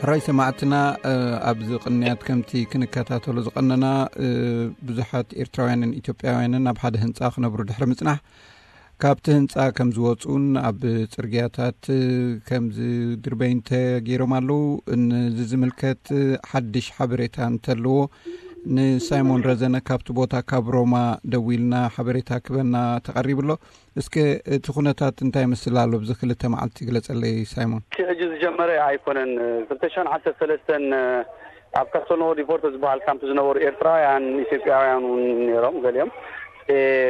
ሕራይ ሰማዕትና፣ ኣብዚ ቅንያት ከምቲ ክንከታተሎ ዝቐነና፣ ብዙሓት ኤርትራውያንን ኢትዮጵያውያንን ኣብ ሓደ ህንፃ ክነብሩ ድሕሪ ምጽናሕ፣ ካብቲ ህንፃ ከም ዝወፁን ኣብ ፅርግያታት ከም ዝድርበይን ተገይሮም ኣለዉ። ነዚ ዝምልከት ሓድሽ ሓበሬታ እንተለዎ፣ ንሳይሞን ረዘነ ካብቲ ቦታ ካብ ሮማ ደዊልና ሓበሬታ ክበና ተቐሪቡ ኣሎ። እስከ እቲ ኩነታት እንታይ ይመስል ኣሎ? ብዚ ክልተ መዓልቲ ግለጸለይ ሳይሞን። እቲ ሕጂ ዝጀመረ ኣይኮነን። ክልተ ሽሕን ዓሰርተ ሰለስተን ኣብ ካስቶልኖ ሪፖርት ዝበሃል ካምፕ ዝነበሩ ኤርትራውያን፣ ኢትዮጵያውያን እውን ነይሮም። ገሊኦም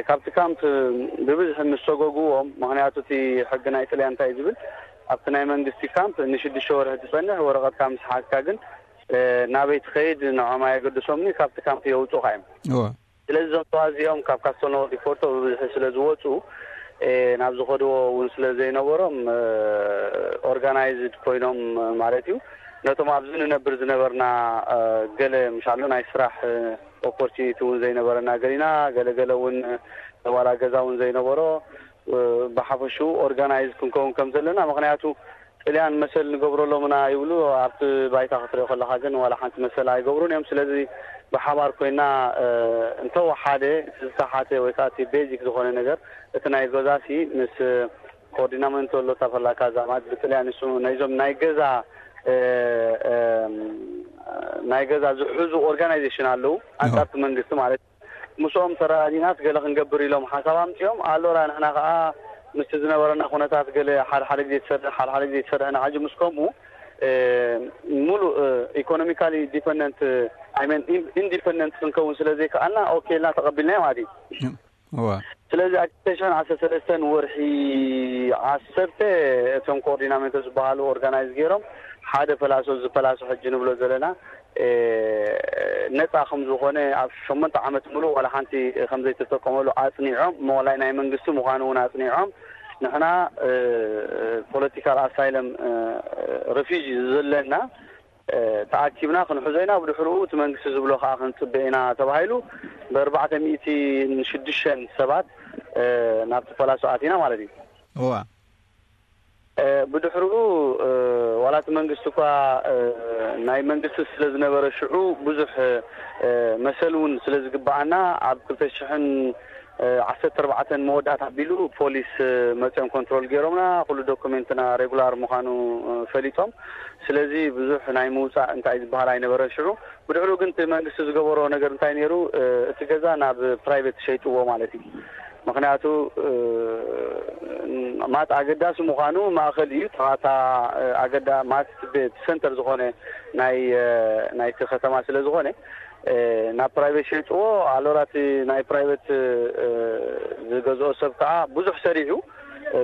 ካብቲ ካምፕ ብብዝሒ ምስ ሰጎግዎም፣ ምኽንያቱ እቲ ሕጊ ናይ ጥልያን እንታይ ዝብል፣ ኣብቲ ናይ መንግስቲ ካምፕ ንሽዱሽተ ወርሒ ትጸንሕ፣ ወረቐትካ ምስ ሓዝካ ግን ናበይ ትኸይድ ንዖም ኣየገድሶምኒ፣ ካብቲ ካምፕ የውፁኻ እዮም። ስለዚ እዞም ተዋዚኦም ካብ ካስቶልኖ ሪፖርቶ ብብዝሒ ስለ ዝወፁ፣ ናብ ዝኸድዎ እውን ስለ ዘይነበሮም፣ ኦርጋናይዝድ ኮይኖም ማለት እዩ። ነቶም ኣብዚ ንነብር ዝነበርና፣ ገለ ምሻሎ ናይ ስራሕ ኦፖርቹኒቲ እውን ዘይነበረና ገሊና፣ ገለገለ እውን ዋላ ገዛ እውን ዘይነበሮ፣ ብሓፈሽኡ ኦርጋናይዝ ክንከውን ከም ዘለና፣ ምኽንያቱ ጥልያን መሰል ንገብረሎም ኢና ይብሉ። ኣብቲ ባይታ ክትሪኦ ከለኻ ግን ዋላ ሓንቲ መሰል ኣይገብሩን እዮም። ስለዚ ብሓባር ኮይና እንተወሓደ ዝተሓተ ወይ ከዓ እቲ ቤዚክ ዝኾነ ነገር፣ እቲ ናይ ገዛሲ ምስ ኮኦርዲናመንቶ ሎታ ፈላካ ዛማት ብጥልያን ንሱ ናይዞም ናይ ገዛ ናይ ገዛ ዝሕዙ ኦርጋናይዜሽን ኣለዉ፣ ኣንጻርቲ መንግስቲ ማለት። ምስኦም ተረዳዲናስ ገለ ክንገብር ኢሎም ሓሳብ ኣምፅኦም። ኣሎራ ንሕና ከዓ ምስቲ ዝነበረና ኩነታት ገለ ሓደ ሓደ ግዜ ትሰርሕ፣ ሓደ ሓደ ግዜ ትሰርሕ፣ ንሓጂ ምስ ከምኡ ሙሉእ ኢኮኖሚካሊ ዲፐንደንት፣ ኢንዲፐንደንት ክንከውን ስለ ዘይከኣልና፣ ኦኬ ኢልና ተቐቢልናዮ ማለት እዩ። ስለዚ ኣብ ክልተ ሽሕን ዓሰርተ ሰለስተን ወርሒ ዓሰርተ እቶም ኮኦርዲናሜንቶ ዝበሃሉ ኦርጋናይዝ ገይሮም ሓደ ፐላሶ፣ እዚ ፐላሶ ሕጂ ንብሎ ዘለና ነፃ ከም ዝኾነ፣ ኣብ ሸሞንተ ዓመት ሙሉእ ዋላ ሓንቲ ከም ዘይተጠቀመሉ ኣፅኒዖም፣ ሞላይ ናይ መንግስቲ ምዃኑ እውን ኣፅኒዖም፣ ንሕና ፖለቲካል ኣሳይለም ሪፊጂ ዘለና ተኣኪብና ክንሕዞ ኢና፣ ብድሕርኡ እቲ መንግስቲ ዝብሎ ከዓ ክንፅበ ኢና ተባሂሉ፣ ብኣርባዕተ ሚእቲ ሽዱሽተ ሰባት ናብቲ ፓላሶ ኣቲና ማለት እዩ። እዋ። ብድሕርኡ ዋላ እቲ መንግስቲ እኳ ናይ መንግስቲ ስለ ዝነበረ፣ ሽዑ ብዙሕ መሰል እውን ስለ ዝግበኣና፣ ኣብ ክልተ ሽሕን ዓሰርተ ኣርባዕተን መወዳእታ ኣቢሉ ፖሊስ መፅኦም ኮንትሮል ገይሮምና፣ ኩሉ ዶኩሜንትና ሬጉላር ምዃኑ ፈሊጦም። ስለዚ ብዙሕ ናይ ምውፃእ እንታይ ዝበሃል ኣይነበረን ሽዑ። ብድሕሩ ግን እቲ መንግስቲ ዝገበሮ ነገር እንታይ ነይሩ? እቲ ገዛ ናብ ፕራይቬት ሸይጥዎ ማለት እዩ። ምኽንያቱ ማት ኣገዳሲ ምዃኑ ማእኸል እዩ። ተባታ ኣገዳ ማት ሰንተር ዝኾነ ናይ ናይቲ ከተማ ስለ ዝኾነ ናብ ፕራይቬት ሸይጥዎ። ኣሎራ እቲ ናይ ፕራይቬት ዝገዝኦ ሰብ ከዓ ብዙሕ ሰሪሑ፣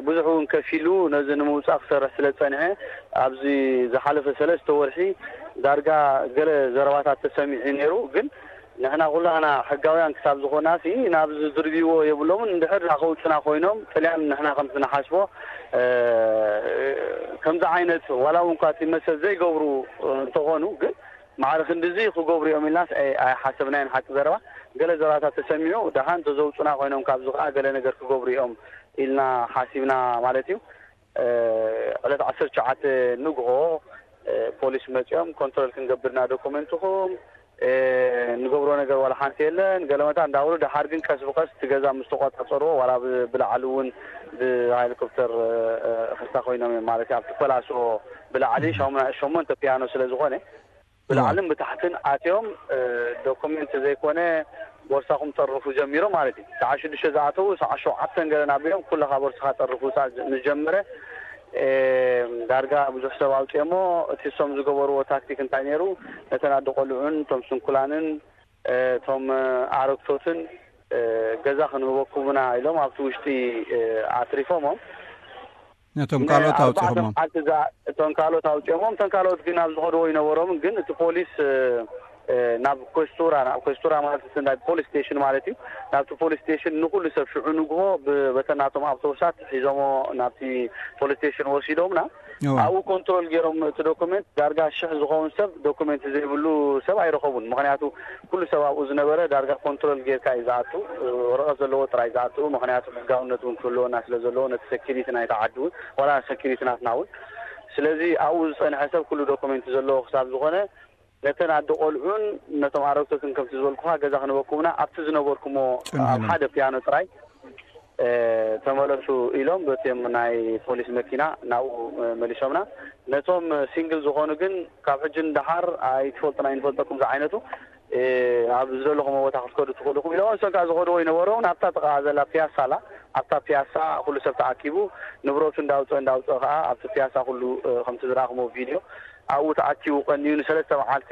ብዙሕ እውን ከፊሉ ነዚ ንምውፃእ ክሰርሕ ስለ ዝፀንሐ፣ ኣብዚ ዝሓለፈ ሰለስተ ወርሒ ዳርጋ ገለ ዘረባታት ተሰሚዑ ነይሩ። ግን ንሕና ኩላህና ሕጋውያን ክሳብ ዝኾናሲ ናብዚ ዝድርብይዎ የብሎምን። እንድሕር ደኣ ከውፅና ኮይኖም ጥልያን ንሕና ከምቲ ንሓስቦ ከምዚ ዓይነት ዋላ እውን እኳ እቲ መሰል ዘይገብሩ እንተኾኑ ግን ማዕረ ክንድዚ ክገብሩ እዮም ኢልናስ ኣይ- ኣይሓሰብናዮን። ሓቂ ዘረባ ገለ ዘረባታት ተሰሚዑ ደሓን ተዘውፁና ኮይኖም ካብዚ ከዓ ገለ ነገር ክገብሩ እዮም ኢልና ሓሲብና ማለት እዩ። ዕለት ዓሰርተ ትሽዓተ ንግሆ ፖሊስ መፂኦም ኮንትሮል ክንገብርና ዶኩመንትኹም ንገብሮ ነገር ዋላ ሓንቲ የለን ገለመታ እንዳበሉ፣ ደሓር ግን ቀስ ብቀስ እቲ ገዛ ምስ ተቆፃፀርዎ ዋላ ብላዕሊ እውን ብሃሊኮፕተር እኽስታ ኮይኖም እዮም ማለት እዩ። ኣብቲ ፐላሶ ብላዕሊ ሸሞንተ ፒያኖ ስለ ዝኾነ ብላዕልን ብታሕትን ኣትዮም ዶኩመንት ዘይኮነ ቦርሳኹም ጠርፉ ጀሚሮም ማለት እዩ። ሰዓ ሽዱሽተ ዝኣተዉ ሰዓ ሸውዓተን ገለን ኣቢሎም ኩለኻ ቦርሳኻ ጠርፉ ምስ ጀመረ ዳርጋ ብዙሕ ሰብ ኣውፅኦሞ። እቲ እሶም ዝገበርዎ ታክቲክ እንታይ ነይሩ? ነተን ኣደ ቆልዑን እቶም ስንኩላንን እቶም ኣረግቶትን ገዛ ክንህበኩም ኢና ኢሎም ኣብቲ ውሽጢ ኣትሪፎሞም። ነቶም ካልኦት ኣውፂኦሞም። እቶም ካልኦት ኣውፂኦሞም፣ እተን ካልኦት ግን ኣብ ዝኸድዎ ይነበሮም። ግን እቲ ፖሊስ ናብ ኮስቱራ፣ ናብ ኮስቱራ ማለት እቲ ናይ ፖሊስ ስቴሽን ማለት እዩ። ናብቲ ፖሊስ ስቴሽን ንኩሉ ሰብ ሽዑ ንግሆ በተናቶም ኣውቶቡሳት ሒዞሞ ናብቲ ፖሊስ ስቴሽን ወሲዶምና። ኣብኡ ኮንትሮል ገይሮም እቲ ዶኩመንት ዳርጋ ሽሕ ዝኸውን ሰብ ዶኩመንት ዘይብሉ ሰብ ኣይረኸቡን። ምኽንያቱ ኩሉ ሰብ ኣብኡ ዝነበረ ዳርጋ ኮንትሮል ጌርካ እዩ ዝኣቱ፣ ወረቐት ዘለዎ ጥራይ ዝኣቱ። ምኽንያቱ ሕጋውነት እውን ክህልወና ስለ ዘለዎ ነቲ ሰኪሪቲ ናይቲ ዓዲ እውን ዋላ ሰኪሪቲ ናትና እውን ስለዚ ኣብኡ ዝጸንሐ ሰብ ኩሉ ዶኩሜንት ዘለዎ ክሳብ ዝኾነ፣ ነተን ኣደ ቆልዑን ነቶም ኣረግቶትን ከምቲ ዝበልኩኻ ገዛ ክንበኩምና ኣብቲ ዝነበርኩሞ ኣብ ሓደ ፒያኖ ጥራይ ተመለሱ ኢሎም በቲም ናይ ፖሊስ መኪና ናብኡ መሊሶምና። ነቶም ሲንግል ዝኾኑ ግን ካብ ሕጂ ንደሓር ኣይትፈልጡን ኣይንፈልጠኩም ዝዓይነቱ ኣብ ዝደለኹም ቦታ ክትከዱ ትኽእሉ ኢሎም። እሶም ከዓ ዝኸድዎ ይነበሩ ናብታ ጥቃ ዘላ ፒያሳ ኣላ። ኣብታ ፒያሳ ኩሉ ሰብ ተኣኪቡ ንብረቱ እንዳውፅኦ እንዳውፅኦ ከዓ ኣብቲ ፒያሳ ኩሉ ከምቲ ዝረኣኹሞ ቪድዮ ኣብኡ ተኣኪቡ ቀንዩ ንሰለስተ መዓልቲ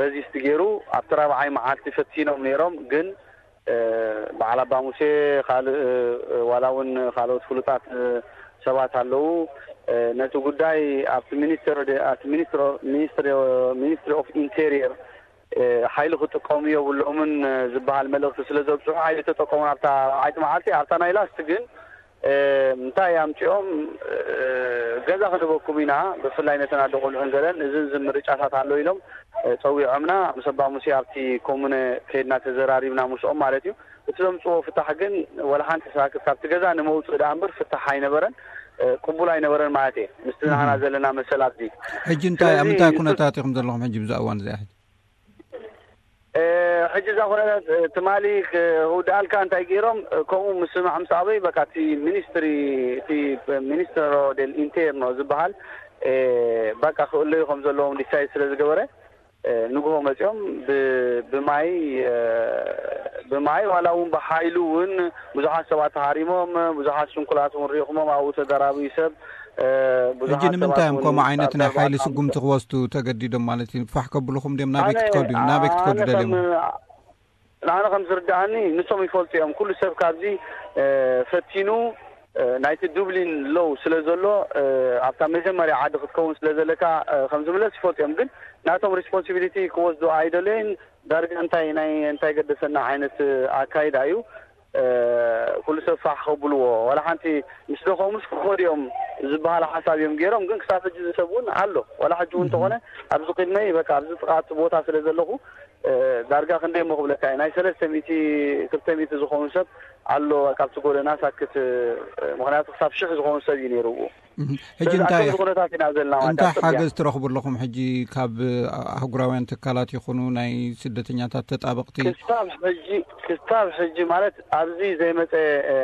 ረዚስት ገይሩ ኣብቲ ራብዓይ መዓልቲ ፈቲኖም ነይሮም። ግን በዓል ኣባ ሙሴ ካልእ ዋላ እውን ካልኦት ፍሉጣት ሰባት ኣለዉ። ነቲ ጉዳይ ኣብቲ ሚኒስትሪ ኦፍ ኢንቴሪየር ሓይሊ ክጥቀሙ የብሎምን ዝበሃል መልእኽቲ ስለ ዘብፅሑ ሓይሊ ተጠቀሙ ኣብታ ራብዓይቲ መዓልቲ ኣብታ ናይ ላስት ግን እንታይ ኣምፅኦም ገዛ ክንበኩም ኢና ብፍላይ ነተን ኣደ ቆልዑን ገለን እዝን ዝምርጫታት ኣሎ ኢሎም ፀዊዖምና ምስ ኣባ ሙሴ ኣብቲ ኮሙነ ከይድና ተዘራሪብና ምስኦም ማለት እዩ። እቲ ዘምፅዎ ፍታሕ ግን ወላ ሓንቲ ሳክት ካብቲ ገዛ ንመውፅእ ደኣ እምበር ፍታሕ ኣይነበረን። ቅቡል ኣይነበረን ማለት እየ ምስቲ ንዓና ዘለና መሰል ኣብዚ። ሕጂ እንታይ ኣብ ምንታይ ኩነታት ኢኹም ዘለኹም ሕጂ ብዛ እዋን እዚኣ ሕጂ? ሕጂ እዛ ኩነታት ትማሊ ክውድኣልካ እንታይ ገይሮም ከምኡ ምስማዕ ምስ ኣበይ በቃ እቲ ሚኒስትሪ እቲ ሚኒስትሮ ደል ኢንቴርኖ ዝበሃል በቃ ክእለዩ ከም ዘለዎም ዲሳይድ ስለ ዝገበረ ንግሆ መፂኦም ብማይ ብማይ ዋላ እውን ብሓይሉ እውን ብዙሓት ሰባት ተሃሪሞም ብዙሓት ስንኩላት እውን ሪኢኹሞም ኣብኡ ተደራብዩ ሰብ። ሕጂ ንምንታይ እዮም ከምኡ ዓይነት ናይ ሓይሊ ስጉምቲ ክወስዱ ተገዲዶም ማለት እዩ? ፋሕ ከብልኹም ድዮም ናበይ ክትከዱ ናበይ ክትከዱ ደልዮም? ንዓነ ከም ዝርድኣኒ ንሶም ይፈልጡ እዮም ኩሉ ሰብ ካብዚ ፈቲኑ ናይቲ ዱብሊን ሎው ስለ ዘሎ ኣብታ መጀመርያ ዓዲ ክትከውን ስለ ዘለካ ከም ዝምለስ ይፈልጡ እዮም። ግን ናቶም ሪስፖንሲቢሊቲ ክወስዱ ኣይደለይን። ዳርጋ እንታይ ናይ እንታይ ገደሰና ዓይነት ኣካይዳ እዩ። ኩሉ ሰብ ፋሕ ከብልዎ ዋላ ሓንቲ ምስ ደኸሙስ ክኸዱ እዮም ዝበሃል ሓሳብ እዮም ገይሮም። ግን ክሳብ ሕጂ ዝሰብ እውን ኣሎ ዋላ ሕጂ እውን እንተኾነ ኣብዚ ቅድመይ በቃ ኣብዚ ጥቓ እቲ ቦታ ስለ ዘለኹ ዳርጋ ክንደይ እሞ ክብለካ እዩ ናይ ሰለስተ ሚእቲ ክልተ ሚእቲ ዝኾኑ ሰብ ኣሎ ካብቲ ጎደና ሳክት። ምክንያቱ ክሳብ ሽሕ ዝኾኑ ሰብ እዩ ነይሩ ብኡ። ሕጂ እንታይ ኩነታት ኢና ዘለና ማለት እንታይ ሓገዝ ትረኽቡ ኣለኹም ሕጂ ካብ ኣህጉራውያን ትካላት ይኹኑ ናይ ስደተኛታት ተጣበቕቲ? ክስታብ ሕጂ ክስታብ ሕጂ ማለት ኣብዚ ዘይመፀ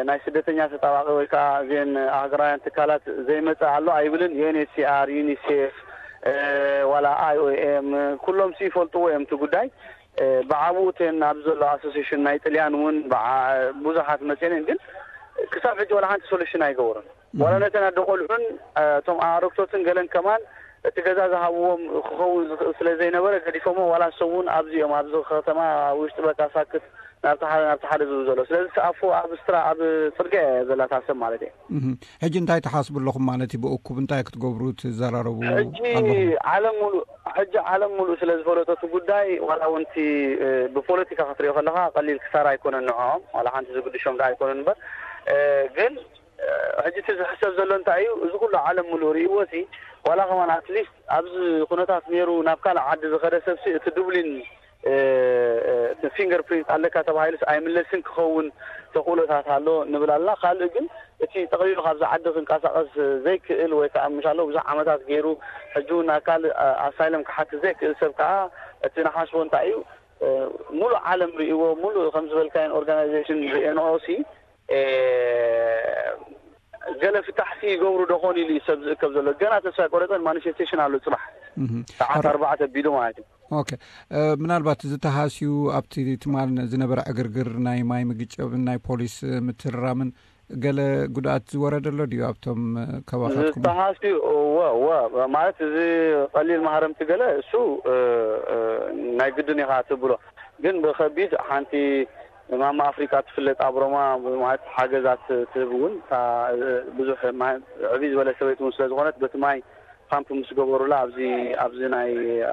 ናይ ስደተኛ ተጣባቂ ወይ ከዓ እዚን ኣህጉራውያን ትካላት ዘይመፀ ኣሎ ኣይብልን። ዩኤንኤችሲኣር፣ ዩኒሴፍ፣ ዋላ ኣይኦኤም ኩሎም ሲ ይፈልጥዎ እዮም እቲ ጉዳይ። ብዓብኡ እተን ኣብ ዘሎ ኣሶሲሽን ናይ ጥልያን እውን ብዙሓት መፅአን ግን ክሳብ ሕጂ ዋላ ሓንቲ ሶሉሽን ኣይገበሩን። ዋላ ነተን ኣደ ቆልዑን እቶም ኣረግቶትን ገለን ከማን እቲ ገዛ ዝሃብዎም ክኸውን ዝኽእል ስለ ዘይነበረ ገዲፎሞ ዋላ ንሶም እውን ኣብዚ እዮም ኣብዚ ከተማ ውሽጢ በቃ ሳክት ናብቲ ሓደ ናብቲ ሓደ ዝብሉ ዘሎ ስለዚ ተኣፉ ኣብ ስትራ ኣብ ፅርግያ እያ ዘላታ ሰብ ማለት እየ። ሕጂ እንታይ ትሓስቡ ኣለኹም ማለት እዩ ብእኩብ እንታይ ክትገብሩ ትዘራረቡ? ሕጂ ዓለም ሙሉእ ሕጂ ዓለም ሙሉእ ስለ ዝፈለጦ እቲ ጉዳይ ዋላ እውን እቲ ብፖለቲካ ክትሪኦ ከለካ ቀሊል ክሳራ ኣይኮነን ንዕኦም ዋላ ሓንቲ ዝግድሾም ዳ ኣይኮነን እምበር ግን ሕጂ እቲ ዝሕሰብ ዘሎ እንታይ እዩ እዚ ኩሉ ዓለም ሙሉእ ርእይዎ ሲ ዋላ ከማን ኣትሊስት ኣብዚ ኩነታት ነይሩ ናብ ካልእ ዓዲ ዝኸደ ሰብሲ እቲ ዱብሊን ፊንገር ፕሪንት ኣለካ ተባሂሉስ ኣይምለስን ክኸውን ተኽእሎታት ኣሎ ንብል ኣለና። ካልእ ግን እቲ ጠቕሊሉ ካብዚ ዓዲ ክንቀሳቐስ ዘይክእል ወይ ከዓ ምሽ ኣሎ ብዙሕ ዓመታት ገይሩ ሕጂ እውን ኣካል ኣሳይለም ክሓትት ዘይክእል ሰብ ከዓ እቲ ንሓስቦ እንታይ እዩ ሙሉእ ዓለም ርእይዎ ሙሉእ ከም ዝበልካዮን ኦርጋናይዜሽን ሪኤንኦ ሲ ገለ ፍታሕሲ ይገብሩ ዶ ኾን ኢሉ እዩ ሰብ ዝእከብ ዘሎ ገና ተስፋ ቆረፀን ማኒፌስቴሽን ኣሎ ፅባሕ ሰዓት ኣርባዕተ ቢሉ ማለት እዩ። ኦኬ። ምናልባት ዝተሃስዩ ኣብቲ ትማል ዝነበረ ዕግርግር ናይ ማይ ምግጨብን ናይ ፖሊስ ምትርራምን ገለ ጉድኣት ዝወረደ ኣሎ ድዩ ኣብቶም ከባኻትኩም? ዝተሃስዩ እወ እወ ማለት እዚ ቀሊል ማህረምቲ ገለ እሱ ናይ ግድን ኢኻ ትብሎ ግን ብኸቢድ ሓንቲ ማማ ኣፍሪቃ ትፍለጥ ኣብ ሮማ ማለት ሓገዛት ትህብ እውን ብዙሕ ዕብይ ዝበለ ሰበይቲ እውን ስለ ዝኾነት በቲ ማይ ፓምፕ ምስ ገበሩላ ኣብዚ ኣብዚ ናይ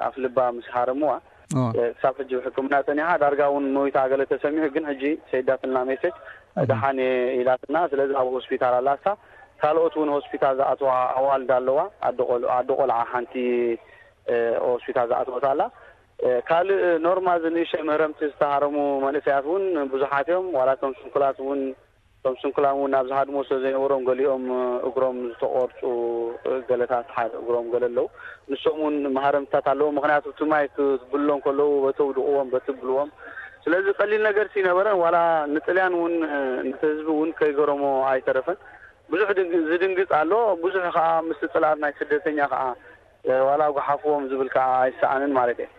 ኣፍልባ ምስ ሃረምዋ ክሳብ ሕጂ ብሕክምና ፀኒሓ ዳርጋ እውን መዊታ ገለ ተሰሚዑ ግን ሕጂ ሰይዳትና ሜሴጅ ደሓን ኢላትና ስለዚ ኣብ ሆስፒታል ኣላሳ ካልኦት እውን ሆስፒታል ዝኣተዋ ኣዋልድ ኣለዋ ኣደ ቆልዓ ሓንቲ ሆስፒታል ዝኣተወት ኣላ። ካልእ ኖርማል ዝንእሸ ምህረምቲ ዝተሃረሙ መንእሰያት እውን ብዙሓት እዮም ዋላ እቶም ስንኩላት እውን እቶም ስንኩላን እውን ናብ ዝሃድሞ ስለ ዘይነበሮም፣ ገሊኦም እግሮም ዝተቆርፁ፣ ገለታት ሓደ እግሮም ገለ ኣለዉ። ንሶም እውን መሃረምታት ኣለዉ። ምክንያቱ እቲ ማይ ክትብሎም ከለዉ በተውድቕዎም፣ በትብልዎም። ስለዚ ቀሊል ነገር ይነበረን፣ ዋላ ንጥልያን እውን፣ ነቲ ህዝቢ እውን ከይገረሞ ኣይተረፈን። ብዙሕ ድንግ- ዝድንግፅ ኣሎ። ብዙሕ ከዓ ምስ ፅላት ናይ ስደተኛ ከዓ ዋላ ጉሓፍዎም ዝብል ከዓ ኣይሰኣንን ማለት እየ።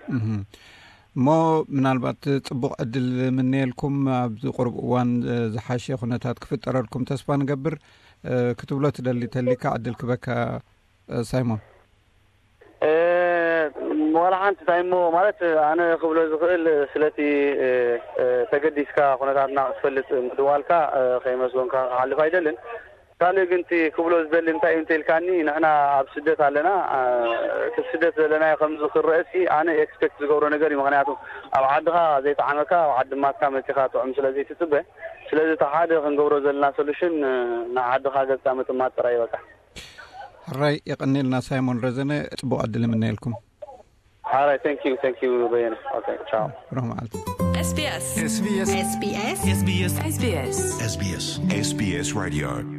እሞ ምናልባት ፅቡቕ ዕድል ምነየልኩም፣ ኣብዚ ቁርብ እዋን ዝሓሸ ኩነታት ክፍጠረልኩም ተስፋ ንገብር። ክትብሎ ትደሊ ተሊካ ዕድል ክበካ ሳይሞን። ዋላ ሓንቲ እንታይ እሞ ማለት ኣነ ክብሎ ዝኽእል ስለቲ ተገዲስካ ኩነታትና ክትፈልጥ ምድዋልካ ከይመስጎንካ ክሓልፍ ኣይደልን። ካልእ ግን እቲ ክብሎ ዝደሊ እንታይ እዩ እንተልካኒ፣ ንሕና ኣብ ስደት ኣለና። እቲ ስደት ዘለናዮ ከምዚ ክረአሲ ኣነ ኤክስፔክት ዝገብሮ ነገር እዩ። ምክንያቱ ኣብ ዓድኻ ዘይጠዓመካ ኣብ ዓዲ ማትካ መፂኻ ጥዑም ስለ ዘይትፅበ፣ ስለዚ እቲ ሓደ ክንገብሮ ዘለና ሶሉሽን ንዓድኻ ገፅካ ምጥማት ጥራይ ይበቃ። ሕራይ የቐኒልና ሳይሞን ረዘነ፣ ፅቡቕ ዕድል የምነየልኩም። ሓራይ፣ thank you, thank you በየነ። Okay, ciao. ብሩህ መዓልቲ። SBS SBS SBS SBS SBS SBS Radio.